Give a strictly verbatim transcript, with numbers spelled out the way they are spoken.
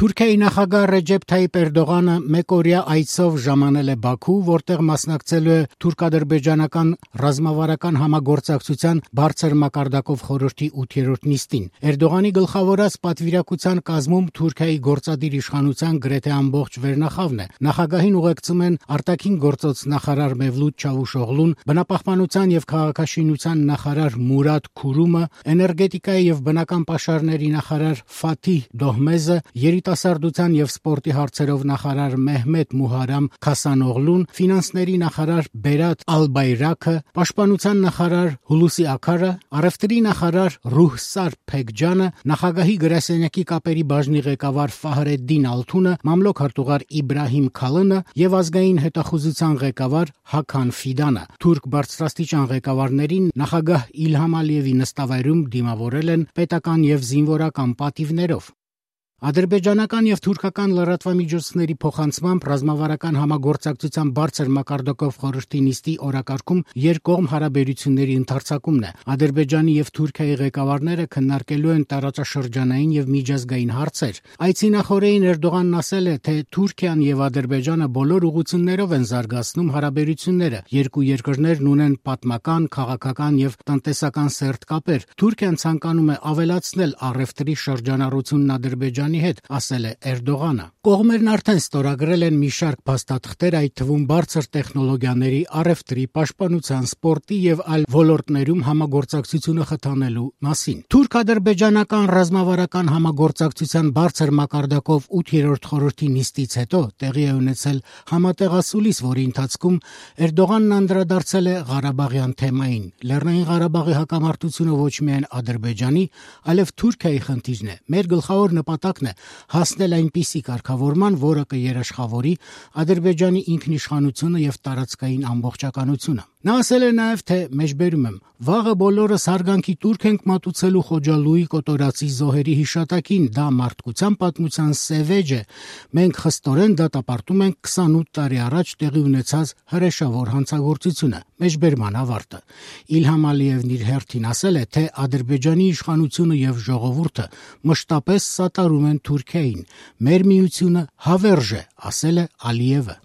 Թուրքիայի նախագահ Ռեջեփ Թայիփ Էրդողանը մեկօրյա այցով ժամանել է Բաքու, որտեղ մասնակցելու է թուրք-ադրբեջանական ռազմավարական համագործակցության բարձր մակարդակով խորհրդի ութերորդ նիստին։ Էրդողանի գլխավորած պատվիրակության կազմում Թուրքիայի գործադիր իշխանության գրեթե ամբողջ վերնախավն է։ Նախագահին ուղեկցում են արտաքին գործոց նախարար Մևլութ Չավուշօղլուն, բնապահպանության եւ քաղաքաշինության նախարար Մուրադ Քուրումը, էներգետիկայի եւ բնական պաշարների նախարար Ֆաթիհ Դոհմեզը, երիտասարդության եւ սպորտի հարցերով նախարար Մեհմեդ Մուհարամ Քասանօղլուն, ֆինանսների նախարար Բերատ Ալբայրաքը, պաշտպանության նախարար Հուլուսի Աքարը, առևտրի նախարար Ռուհսար Փեքջանը, նախագահի գրասենյակի կապերի բաժնի ղեկավար Ֆահրեդդին Ալթունը, մամլոք հարտուղար Իբրահիմ Քալընը եւ ազգային հետախուզության ղեկավար Հաքան Ֆիդանը։ Թուրք բարձրաստիճան ղեկավարներին նախագահ Իլհամ Ալիևի նստավայրում դիմավորել են պետական եւ զինվորական պատիվներով։ Ադրբեջանական եւ թուրքական լրատվամիջոցների փոխանցմամբ ռազմավարական համագործակցության բարձր մակարդակով խորհրդի նիստի օրակարգում երկկողմ հարաբերությունների ընդարձակումն է։ Ադրբեջանի եւ Թուրքիայի ղեկավարները քննարկելու են տարածաշրջանային եւ միջազգային հարցեր։ Այցի նախօրեին Էրդողանն ասել է, թե Թուրքիան եւ Ադրբեջանը բոլոր ուղղություններով են զարգացնում հարաբերությունները։ Երկու երկրներն ունեն պատմական, քաղաքական եւ տնտեսական սերտ կապեր։ Թուրքիան ցանկանում է ավելացնել առևտրի շրջանառությունն Ադրբեջանի հետ, ասել է Էրդողանը։ Կողմերն արդեն ստորագրել են մի շարք փաստաթղթեր, այդ թվում բարձր տեխնոլոգիաների, առևտրի, պաշտպանության, սպորտի եւ այլ ոլորտներում համագործակցությունը խթանելու մասին։ Թուրք-ադրբեջանական ռազմավարական համագործակցության բարձր մակարդակով ութերորդ խորհրդի նիստից հետո տեղի է ունեցել համատեղասուլիս, որի ընթացքում Էրդողանն անդրադարձել է Ղարաբաղյան թեմային։ Լեռնային Ղարաբաղի հակամարտությունը ոչ միայն Ադրբեջանի, այլև Թուրքիայի խնդիրն է։ Մեր գլխավոր նպատակն է հասնել այնպիսի կարգավորման, որը կերաշխավորի Ադրբեջանի ինքնիշխանությունը եւ տարածքային ամբողջականությունը։ Նա ասել է նաեւ, թե մեջբերում եմ. «Վաղը բոլորս հարգանքի տուրք ենք մատուցելու Խոջալույի կոտորածի զոհերի հիշատակին, դա մարդկության պատմության սևեջ է։ Մենք խստորեն դատապարտում ենք քսանութ տարի առաջ տեղի ունեցած հրեշավոր հանցագործությունը»։ Մեջբերման ավարտը։ Իլհամ Ալիևն իր հերթին ասել է, թե Ադրբեջանի իշխանությունը եւ ժողովուրդը մշտապես սատարում են Թուրքիային։ Մեր միությունը հավերժ է, ասել է Ալիևը։